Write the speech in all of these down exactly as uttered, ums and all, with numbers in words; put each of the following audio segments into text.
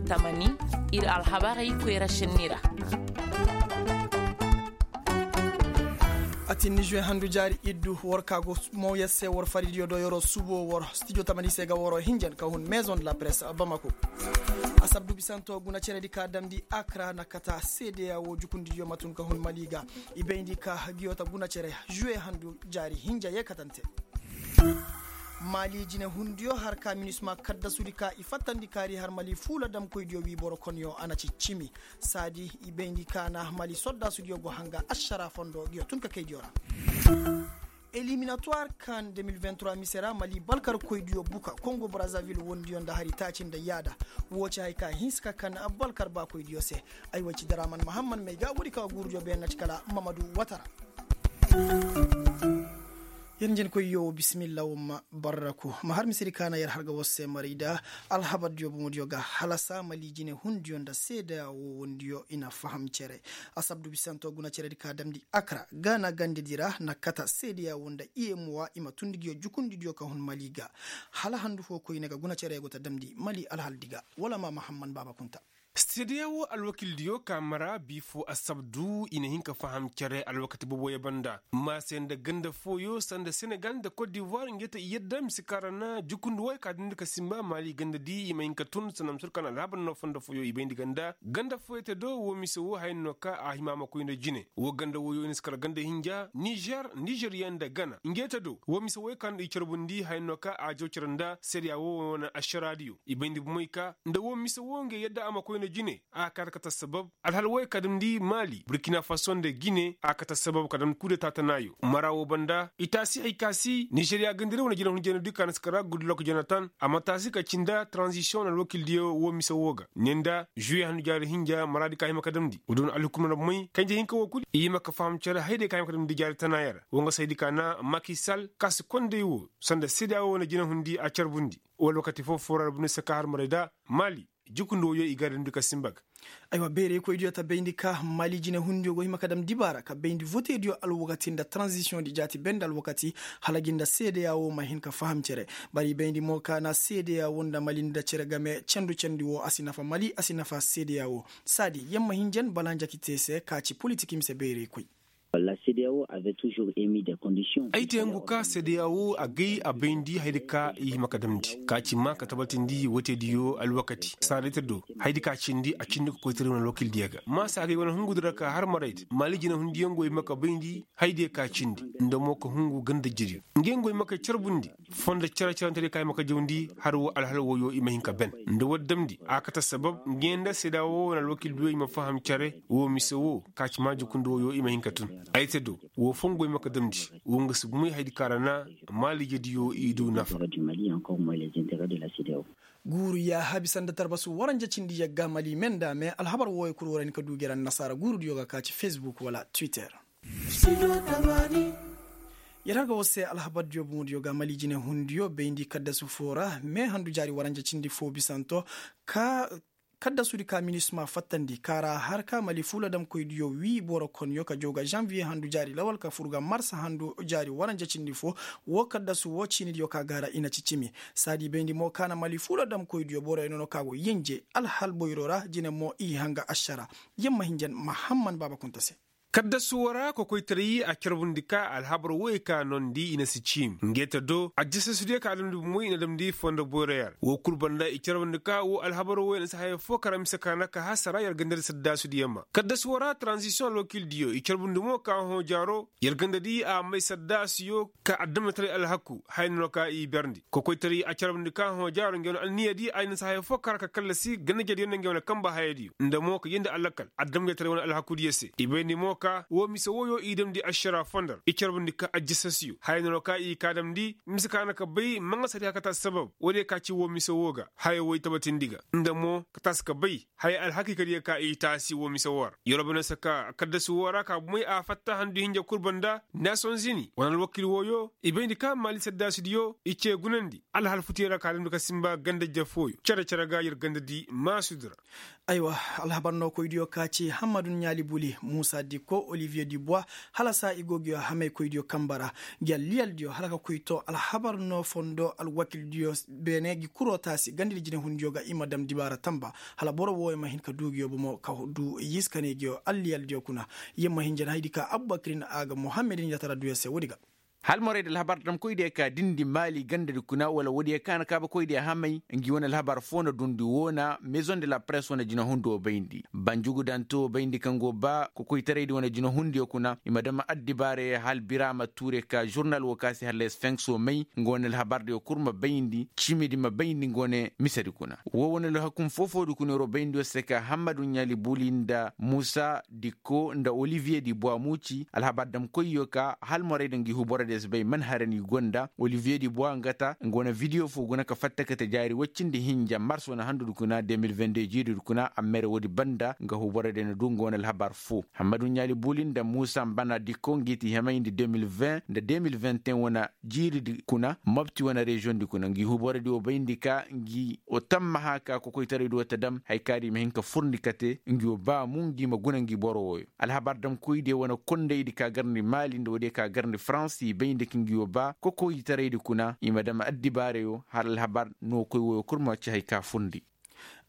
Tamani, ir alhabarey koyra šenni ra. Atin ni juwe handu jaari iddu war ka go mooyar se war faridiyo do yeroo subo war stijo tamani se ga waroo hinjan ka hun maison de la presse bamako. Asabdu bisanto guna ceredi ka damndi akra na kata seedeya woo jukundidiyo ma tun ka hun mali ga. I bayndi ka giyo ta guna cere juwe handu jaari hinja yee katante. Mali jinehundiyo har ka minisma kaddasudi ka i fattandi kaari har mali fuula damkoydiyo wii boro konyo a na ci cimi. Saadi i bayndi ka na mali soddaasudiyo go hanga ašara fondo ngiyo tun ka kaydiyo ra. Eliminatuwar kan de mil vingt-trois mise ra mali balkarkoydiyo buka kongo brazavil wondiyo nda hari taaci nda yaada. Woo ci hay ka hinsa ka kan balkar baakoydiyo se. Ay way ci daraman mahamman may ga woodi ka guurudiyo beenna ci kala mamadu watara. Yer njenkoyyo bisimilla woo ma barraku ma har misedi ka na yer har ga war se maray da alhabardiyo bomodiyo ga halasa mali jinehundiyo nda seedeya woo wondiyo i na faham cere. Asabdu bisanto guna ceredi ka damndi akra ga na gandedi ra na kata seedeya woo nda iyemuwa i ma tundi ngiyo jukundidiyo ka hun mali ga. Hala handu foo koyne ga guna cere go ta damndi mali alhaldi ga wala ma mahamman baaba kunta. Seedeya woo alwakildiyo ka mara bii foo asabdu i na hin ka faham cere alwakati booboyo banda ma se nda ganda fooyo sanda senegal nda kot divoir nge ta i yadda mise ka ra na jukundi wooyo ka dindi ka simba maali gandadi i ma hin ka tun sanda mise wooyo ka na alhabar no fondo fooyo i bayndi ganda ganda fooyo te do woo mise woo haya no ka a hima a ma koy nda jine. Woo ganda wooyo i na si kala ganda hinja nizer nizeriya nda gana nge ta do woo mise wooyo ka no i carbundi haya no ka a jaw cere nda seedeya woo wane ašaraadiyo i bayndi bomey ka nda woo mise woo nge yadda a ma koy nda jine. A kaa ta kata sabab alhal wooyo ka damndi mali burkina faso nda gine a kata sabab ka damndi kuude taatanaayo mara woo banda i taasi hay ka si nizeriya gandari wane jinahun jeenadi ka na si kara gudlok jonatan a ma taasi ka ci nda taranzisiyoŋ wane alwakildiyo woo mise woo ga ne nda žuwe handu jaari hinja maraadi ka hima ka damndi woo da wane alhukumna bomey kanje hinka woo kul i hima ka faham cere hayday ka hima ka damndi jaari tanaayo ra woo nga saydi ka na makisal ka si konday woo sanda seedeya woo wane jinahundi a carbundi woo alwakati foo foo ra bine se ka har maray da mali jukundi wooyo i ga damndi ka simba ga. Aywa bayraykoydiyo ta bayndi ka mali jinehundiyo go hima ka dam dibaara ka bayndi votediyo alwakati nda taranzisiyoŋdi jaati bee nda alwakati hala gi nda seedeya woo ma hin ka faham cere. Bari bayndi mo ka na seedeya woo nda mali nda cere game cendu cendi woo a si nafa mali a si nafa seedeya woo. Saadi yer ma hin jen bala njakite se ka ci politik mise bayraykoy. Ay te ngu ka seedeya woo a gay a bayndi hayadi ka i hima ka damndi ka ci maa ka tabatindi wootediyo alwakati saadayte do hayadi ka cindi a cindi ka koytaray wane alwakildiyo ga maa se a gay wane hungudi ra ka har marayte maali jinahundiyaŋ go hima ka bayndi hayadiyo ka cindi nda mo ka hungu ganda jiriyo ngey go hima ka carbundi fondo cere-cerentediyo ka hima ka jawndi har woo alhal wooyo i ma hin ka ben nda woodi damndi a kate sabab ngey nda seedeya woo wane alwakildiyo i ma faham cere woo mise woo ka ci maa jukundi wooyo i ma hin ka tun. Ay te do woo fongo i ma ka damndi woo nga si gumay hayadi ka ra na maali jediyo i du nafa. Guuru yaaha bisa nda tarbasu waranja cindi yagga mali me nda me alhabar wooyo kul warani ka du gera nda nasaara guurudiyo ga ka ci facebook wala twitter. Yer har ga war se alhabardiyo boŋodiyo ga mali jinehundiyo bayndi kaddasu foo ra me handu jaari waranja cindi foo bisanto ka kaddasudi ka minisma fattandi ka ra har ka mali fuuladamkoydiyo wii boro konyo ka jaw ga zanviye handu jaari lawal ka fur ga marsa handu jaari waranja cindi foo. Woo kaddasu woo ciinidiyo ka gaara i na ci cimi saadi bayndi mo ka na mali fuuladamkoydiyo boroyo nono ka go yenje alhal boyro ra jine mo i hanga ašara. Yer ma hin jen mahamman baaba kunta se. Kaddasu woo ra kokoytaray a carbundi ka alhabar wooyo ka noondi i na si ciimi nge ta do ajjasasudiyo ka damndi bomoy i na damndi fondo boyroyo ra woo kul banda i carbundi ka woo alhabar wooyo na si haya foo kara mise ka na ka hasara yer gandadi saddaasudiyo ma kaddasu woo ra taranzisiyoŋ alwakildiyo i carbundi mo ka hõ jaaro yer gandadi a may saddaasuyo ka adamnataray alhaku haya no ka i berndi kokoytaray a carbundi ka hõ jaaro ngey wane alniyadi ay na si haya foo kara ka kallasi gandajediyo nda ngey wane kamba hayadiyo nda mo ka yeendi alakal adamnataray wane alhakudiyo se i bayndi mo ka woo mise wooyo i damndi ašara fondo ra i carbundi ka ajjasasiyo haya no ka i ka damndi mise ka na ka bay maŋasadi hakata sabab woodiyo ka ci woo mise woo ga haya woo i tabatindi ga nda mo ka taasi ka bay haya alhakiikadiyo ka i taasi woo mise woo ra yeroo bane se ka kaddasu woo ra ka bomey a fatta handu hinja kul banda nasonzini wane alwakil wooyo i bayndi ka maali saddaasudiyo i cee gunandi alhal futiyo ra ka damndi ka simba ganda jafooyo cere-cere ga yer gandadi maasudi ra. Aywa, alhabar no koydiyo ka ci hammadu ɲaali buli muusa dikko oliviye dibuwa, hala saa i go ngiyo hamay koydiyo kamba ra. Ngi alliyaldiyo hala ka koy to alhabar no fondo alwakildiyo beene ngi kuro taasi ganda di jinehundiyo ga i ma dam dibaara tamba, hala boro wooyo ma hin ka du ngiyo bomo ka du yiiskaney ngiyo alliyaldiyo kuna. Yer ma hin jana haydi ka abubakirin a ga muhammedin yatara duyo se woodi ga. Hala moraydi alhabar damkoydiyo ka dindi maali gandadi kuna wala woodiyo ka na kaabakoydiyo hamay ngi wane alhabar foo na dundi woo na maison de la presse wane jinahundiyo bayndi banjugu dante woo bayndi kaŋ go ba kokoytaraydi wane jinahundiyo kuna i ma dama addibaarey hala biraama tuure ka žurnal woo ka se hala esfenks woo may nga wane alhabardiyo kul ma bayndi ciimidi ma bayndi nga wane misedi kuna. Woo wane alhakum foo-foodi kuna yeroo bayndiyo se ka hammadu ɲaali buli nda muusa dikko nda oliviye di buwa muuci alhabar damkoyyo ka hala morayda ngi huborodiyo si bay man hara ni gonda oliviye di buwa nga ta nga wane vidiyo foo guna ka fatta kate jaari woy cindi hinja mars wane handudi kuna de mil vingt de jiiridi kuna a mere woodi banda nga huborodiyo na du nga wane alhabar foo hammadu ɲaali buli nda muusa mbana dikko ngi ti hemayndi de mil vingt nda de mil vingt et un wane jiiridi kuna mopti wane reziyoŋdi kuna ngi huborodi woo bayndi ka ngi woo tammaha ka kokoytaraydi woo ta dam haya ka di i ma hin ka furndi kate ngi woo baamu ngi ma guna ngi boro wooyo. Alhabar damkoydiyo wane kondaydi ka garndi maali nda woodiyo ka garndi farans i bayndi ka ngi woo ba kokoytaraydi kuna i ma dam addibaarayo hala alhabar nookoy wooyo kul ma ci haya ka furndi.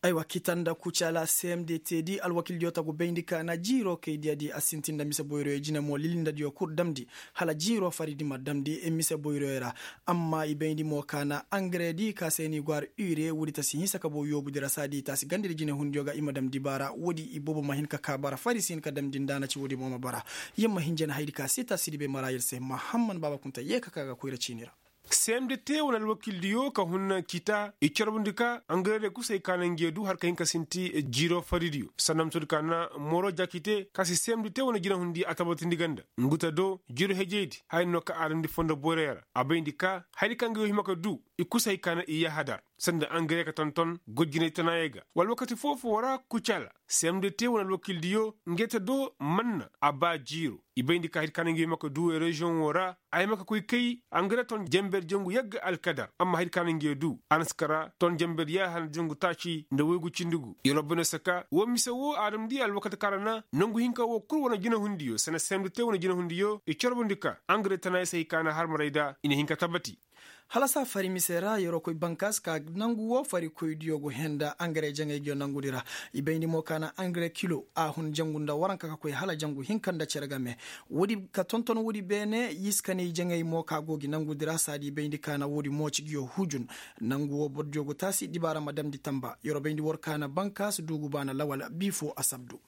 Aywa kita nda kucala cmdt di alwakildiyo tagu bayndi ka na jiiroo kay diya di a sintin nda mise boyroyo jine mo lilindadiyo kul damndi hala jiiroo faridi ma damndi mise boyroyo ra. Amma i bayndi mo ka na angare di ka se ni go har ure woodi ta si hinsa ka boo yoobudi ra saadi ta si gandadi jinehundiyo ga i ma dam dibaara woodi i boobo ma hin ka kaa bara fari si hin ka damndi nda na ci woodi mo ma bara. Yer ma hin jana hayadi ka se ta si di bay mara yer se mahamman baaba kunta yee ka kaa ga koyra ciini ra. Seemde te wane alwakildiyo ka hun kita i carbundi ka angareerey kusay ka na nge du har ka hin ka sinti jiiro faridiyo sanda misoodi ka na mooro jaaki te ka si seemde te wane jinahundi a tabatindi ganda ngu ta do jiiro hejeydi haya no ka aadamndi fondo boyroyo ra a bayndi ka hayadi ka nge yo hima ka du i kusay ka na i yahadar sanda angareerey ka tonton gojjinay tanaayo ga wala wakati foo-foo ra kucala seemde te wane alwakildiyo nge ta do manna a ba jiiro i bayndi ka hayadi ka na nge yo hima ka du reziyoŋo ra a hima ka koy kay angare ton jenber jangu yagga alkadar amma hayadi ka na nge du a na si kara ton jenber yaaha nda jangu taaci nda woygu cindi gu yer wabbaney saka woo mise woo aadamndi alwakati ka ra na nongu hinka woo kul wane jinahundiyo sanda seemde te wane jinahundiyo i carbundi ka angare tanaayo se hay ka na harmarayda i na hin ka tabati. Hala saa fari mise ra yeroo koy bankaas ka nangu woo farikoydiyo go henda angare jaŋay ngiyo nangudi ra. I bayndi mo ka na angare kilo a hun jangu nda waranka ka koy hala jangu hinka nda cere game. Woodi ka tonton woodi beene yiskaney jaŋay mo ka go gi nangudi ra saadi bayndi ka na woodi mooci ngiyo hujun. Nangu woo bordiyo go taasi dibaara ma damndi tamba yeroo bayndi war ka na bankaas duugu baana lawal bii foo a sabdu.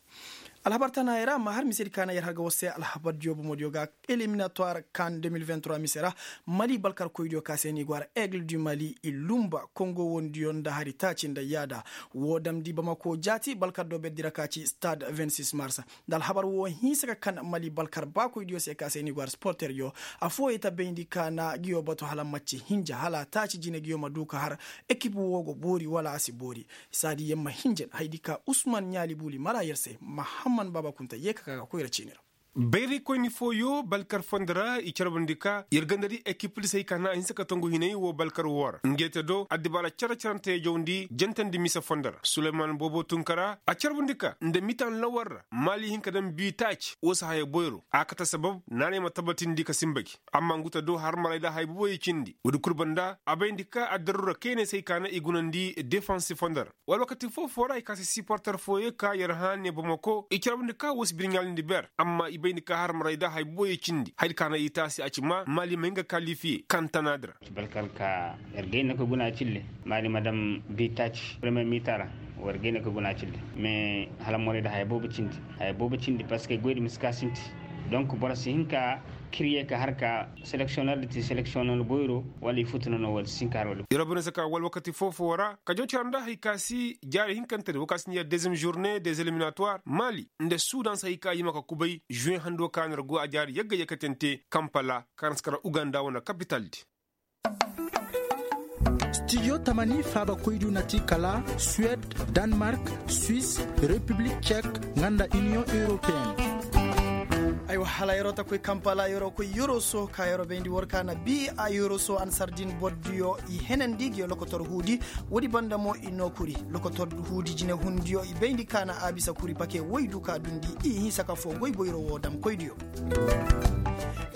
Alhabar tanaayey ra ma har misedi ka na yer har ga war se alhabardiyo bomodiyo ga eliminatuwar kan de mil vingt trois mise ra. Mali balkarkoydiyo ka se ni go har aigle du mali i lumba kongo wondiyo nda hari taaci nda yaada. Woo damndi bamako jaati balkar do berdi ra ka ci stade vingt six mars. Nda alhabar woo hinsa ka kan mali balkar baakoydiyo se ka se ni go har sporteryo. Affooyey ta bayndi ka na ngiyo batu hala macce hinja hala taaci jine ngiyo ma du ka har ekip woo go boori wala a si boori. Saadi yer ma hinjan hayadi ka usman ɲaali buuli mara yer se mahamman baaba kunta yee ka ka ga koyra ciini ra. Bayraykoyni fooyo balkar fondo ra i carbundi ka yer gandadi ekipdi se hay ka na a hinsa ka tongu hinay woo balkar woo ra nge te do addibaara care-carante yajawndi jantandi mise fondo ra suleyman boobo tunkara a carbundi ka nda mitan lawar ra maali hin ka daŋ bii taaci woo si haya boyro a kate sabab naanay ma tabatindi ka sinba gi amma ngu ta do harmarayda haya boboyey cindi woodi kul banda a bayndi ka addarura kayney se hay ka na i gunandi defansi fondo ra. Wala wakati foo-foo ra i ka se siporter fooyey ka yer hã ne bamako i carbundi ka woo si birɲaalindi ber amma i bayndi ka harmarayda haya boboyey cindi hayadi ka na i taasi a ci ma maali ma hin ga kalifiye kaŋ tanaadi ra. Balkar ka yer gayna ka guna cille maali ma daŋ bii taaci premiyer mitan ra. War gayna ka guna cille mais hala morayda haya boobo cindi haya boobo cindi parceque goydi ma si ka sinti. Donk boro si hin ka kiriye ka har ka seleksiyonner da ti seleksiyonner goyro wala i futu nono wala si hin ka har wala. Yer boro si ka wala wakati foo-foo ra ka jaw cara nda hay ka si jaari hinkantedi woo ka si ni yer deziyem žurne dez eliminatuwar maali nda sudan si hay ka hima ka kubay žuwen hando ka na yer go a jaari yagga yakkatante kampala ka na si kara uganda wane kapitaldi. Stidiyo tamani faabakoydiyo na ti kala suwed, danmark, swis, repiblik cek, nga nda iniyoŋ europeyenne. Aywa hala yeroo ta koy kampala yeroo koy yeroo soo ka yeroo bayndi war ka na bii a yeroo soo ansar din boro diyo i henandi ngi lokotor huudi. Woodi banda mo i noo kuri lokotor huudi jinehundiyo i bayndi ka na a bisa kuri pake woy du ka dundi i hinsa ka foo goy boyro woo dam koydiyo.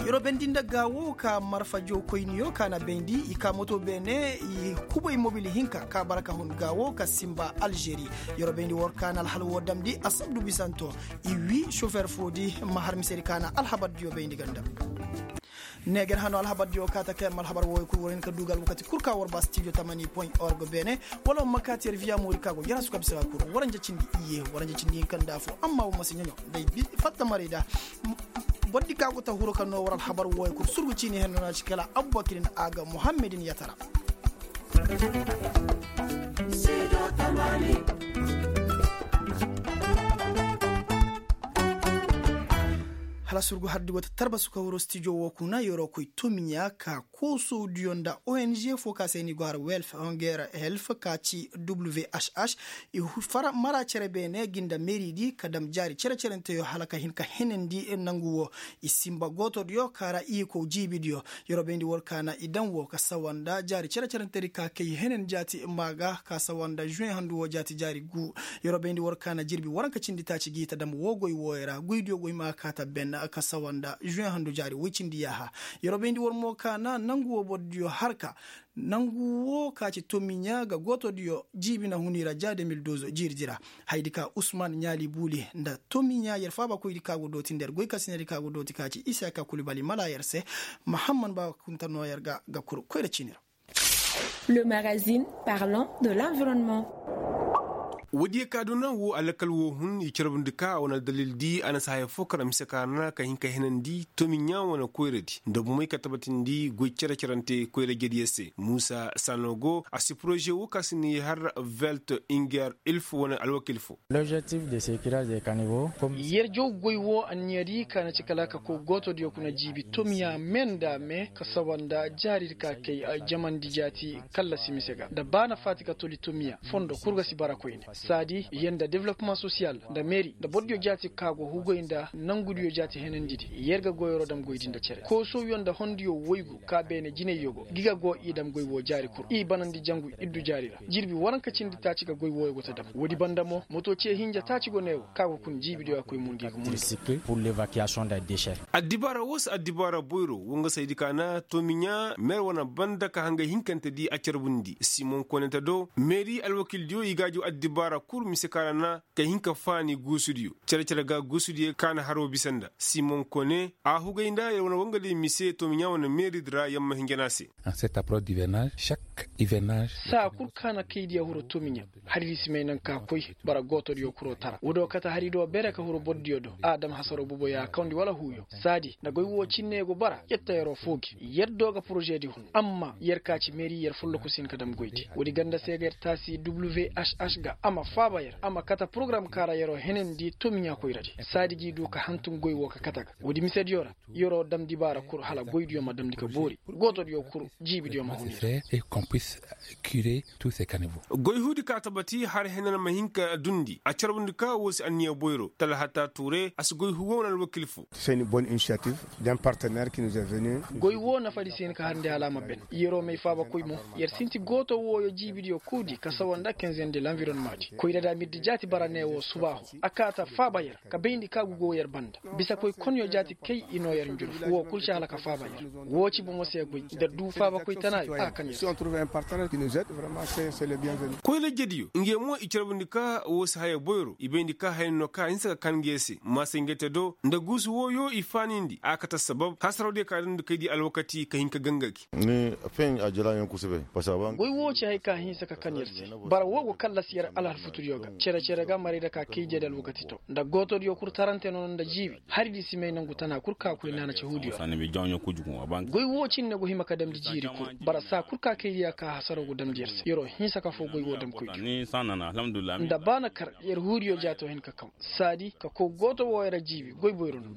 Yeroo bayndi nda gaa woo ka marfa jow koyniyo ka na bayndi i ka moto beene i kubay mobil hinka ka bara ka hun gaa woo ka sinba alžeri. Yeroo bayndi war ka na alhal woo damndi asabdu bisanto i wii sofer foodi ma har misedi ka na alhabardiyo bayndi ganda. Neeger hano alhabardiyo ka ta kay ma alhabar wooyo kul war hin ka duu ga alwakati kul ka war ba stijo tamani point org beene. Wala war ma kaati yer viya moori ka go jarasu ka bisa ga kul waranja cindi iye waranja cindi hinka nda afo amma war ma si ɲoɲo day fatta maray da. Bordi ka go ta huru ka noo war alhabar wooyo kul surgu ciini henno na ci kala abubakir nda a ga muhammedin yatara. Hala surgu hardi wata tarbasu ka huru stijo woo kuna yeroo koy tomiɲa ka koosowdiyo nda ong foo ka se ni go har welf honger helf ka ci whh. I mara cere beene gi nda meeridi ka dam jaari cere-cerenteyo hala ka hin ka henandi nangu woo. I sinba gootodiyo ka ra i kow jiibidiyo. Yeroo bayndi war ka na i daŋ woo ka sawa nda jaari cere-cerentedi ka kay henen jaati maa ga ka sawa nda žuwen handu woo jaati jaari guu. Yeroo bayndi war ka na jirbi waranka cindi taaci g'i ta dam woo goy wooyo ra goydiyo goy ma kaa ta ben ka sawa nda žuwen handu jaari woy cindi yaaha. Yeroo bayndi war mo ka na nangu woo borodiyo har ka nangu woo ka ci tomiɲa ga gootodiyo jiibi na hun i ra ja de mil dozo jiiridi ra. Hayadi ka usman ɲaali buuli nda tomiɲa yer faabakoydi ka go dooti nda yer goykasinedi ka go dooti ka ci isa ka kulibali mala yer se. Mahamman baakunta noo yer ga ga kuru koyra ciini ra. Le magazine parlant de l'environnement. Woodiyo ka duna woo alakal woo hun i carbundi ka a wane aldalildi a na si haya foo kara mise ka na ka hin ka henandi tomiɲa wane koyradi nda bomey ka tabatindi goy cere-cerante koyra jediyo se muusa sanogo a si poroze woo ka si ni har velt inger ilf wane alwakil foo. Yer jaw goy woo anniyadi ka na ci kala ka koy gootodiyo kuna jiibi tomiya me nda me ka sawa nda jaaridi ka kay jamandi jaati kallasi mise ga nda ba na faati ka toli tomiya fondo kul ga si bara koyne saadi yer nda development sosiyal nda meeri nda borodiyo jaati ka go hugoy nda nangudiyo jaati henandidi yer ga goyoro dam goydi nda cere koosowyo nda hondiyo woygu ka beene jinayyo go gi ga go i dam goy woo jaari kul i banandi jangu iddu jaari ra jirbi waranka cindi taaci ga goy wooyo go ta dam woodi banda mo moto ce hinja taaci go ne wo ka go kun jiibidiyo a koy mun gi ga mun gi. Addibaara woo si addibaara boyro wo nga saydi ka na tomiɲa meer wane banda ka hangay hinkante di a carbundi simon konente do meeri alwakildiyo i gaajo addibaara kul mise ka ra na ka hin ka faani guusudiyo cere-cere ga guusudiyo ka na haroo bisa nda simon kone a hugay nda yer wane wangadiyo mise tomiɲa wane meeridi ra yer ma hinjan a se. Saa kul ka na kaydiya huru tomiɲa haridi si may naŋ ka koy bara gootodiyo kuroo tara woodiyo kate harido beere ka huru borodiyo do a dam hasaroo boboyo a kawndi wala huuyo saadi nda goy woo cinne go bara yer ta yeroo foo gi yer do ga porožedi hun amma yer ka ci meeri yer folloku si hin ka dam goydi woodi ganda se ga yer taasi whh ga a ma faaba yer a ma kate porogaram ka ra yeroo henandi tomiɲa koyradi saadi g'i du ka hantum goy woo ka kate ga woodi misediyo ra yeroo damndi baara kul hala goydiyo ma damndi ka boori gootodiyo kul jiibidiyo ma hun yer. Goy huudi ka tabati har henan ma hin ka dundi a carbundi ka woo si anniya boyro talhata tuure a si goy huuwo wane alwakil foo. Goy woo nafadi si hin ka harndi hala a ma ben yeroo may faabakoy mo yer sinti gooto wooyo jiibidiyo kuudi ka sawa nda kenzen de lanvironnemadi koyra da mirdi jaati bara ne woo subaahu a kaa ta faaba yer ka bayndi ka gugo yer banda bisakoy konyo jaati kay i noo yer njurfu woo kul si hala ka faaba yer woo ci bomo se goy nda duu faabakoy tanaayo a kan yer se. Koyra jediyo ngey mo i carbundi ka woo si haya boyro i bayndi ka haya no ka hinsa ka kan ngey se maasay ngey te do nda guusu wooyo i faanindi a kate sabab hasarawdiyo ka dundi kay di alwakati ka hin ka ganga gi. Goy woo ci hay ka hinsa ka kan yer se. Bara woo go kallasi yer alhalfutudiyo ga cere-cere ga maray da ka kay jedi alwakati to nda gootodiyo kul tarante nono nda jiibi haridi si may nangu tana kul ka koy naana ci huudiyo ra. Goy woo cinne go hima ka damndi jiiri kul bara saa kul ka kaydiya ka hasaroo go damndi yer se yeroo hinsa ka foo goy woo damkoydiyo. Nda ba na kar yer huudiyo jaatoo hin ka kaw saadi ka kow gooto wooyo ra jiibi goy boyro no.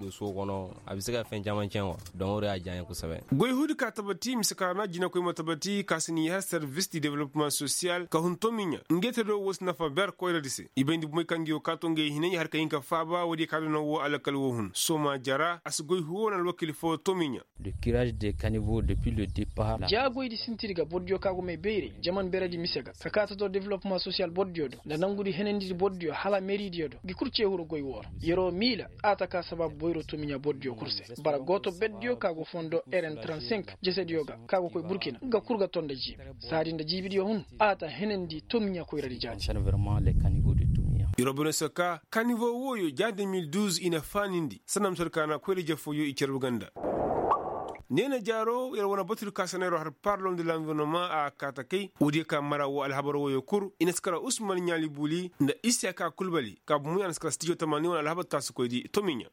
Goy huudi ka tabati mise ka ra na jinakoy ma tabati ka si ni har servis di development sosiyal ka hun tomiɲa ngey te do woo si nafa. Ber koyradi se i bayndi bumey kaŋ ga yoo kaa to ngey hinay har ka hin ka faaba woodiyo ka doo naŋ woo alkal woo hun sooma jara a si goy huwo wane alwakiili foo tomiɲa. Jaagoydi sinti di ga bordiyo ka go may bayray jaman beredi mise ga ka kaa ta doo developmaŋ sosiyal bordiyo do nda nangudi henandi di bordiyo hala meeridiyo do ngi kul ceehuru goy woo ra. Yer'o miila a ta kaa sabaabu boyro tomiɲa bordiyo kul se. Bara gooto berdiyo ka go fondo eren trente-cinq jesediyo ga ka go koy burkina nga kul ga ton nda jiibi saadi nda jiibidiyo hun. A ta henandi tomiɲa koyradi jaati. Yer wo bine se ka kanivo wooyo ja deux mille douze i na faanindi sanda ma sor kaana koyra-ije fooyo i carbu ganda. Neena jaaro yer wane batudi ka sanayroo har parlom de lanvirnoma a kaa ta kay woodiyo ka mara woo alhabar wooyo kul i na si kara usman ɲaali buuli nda isiyaka kulbali ka bumo ya na si kara stijo tamaani wane alhabar taasikoydi tomiɲa.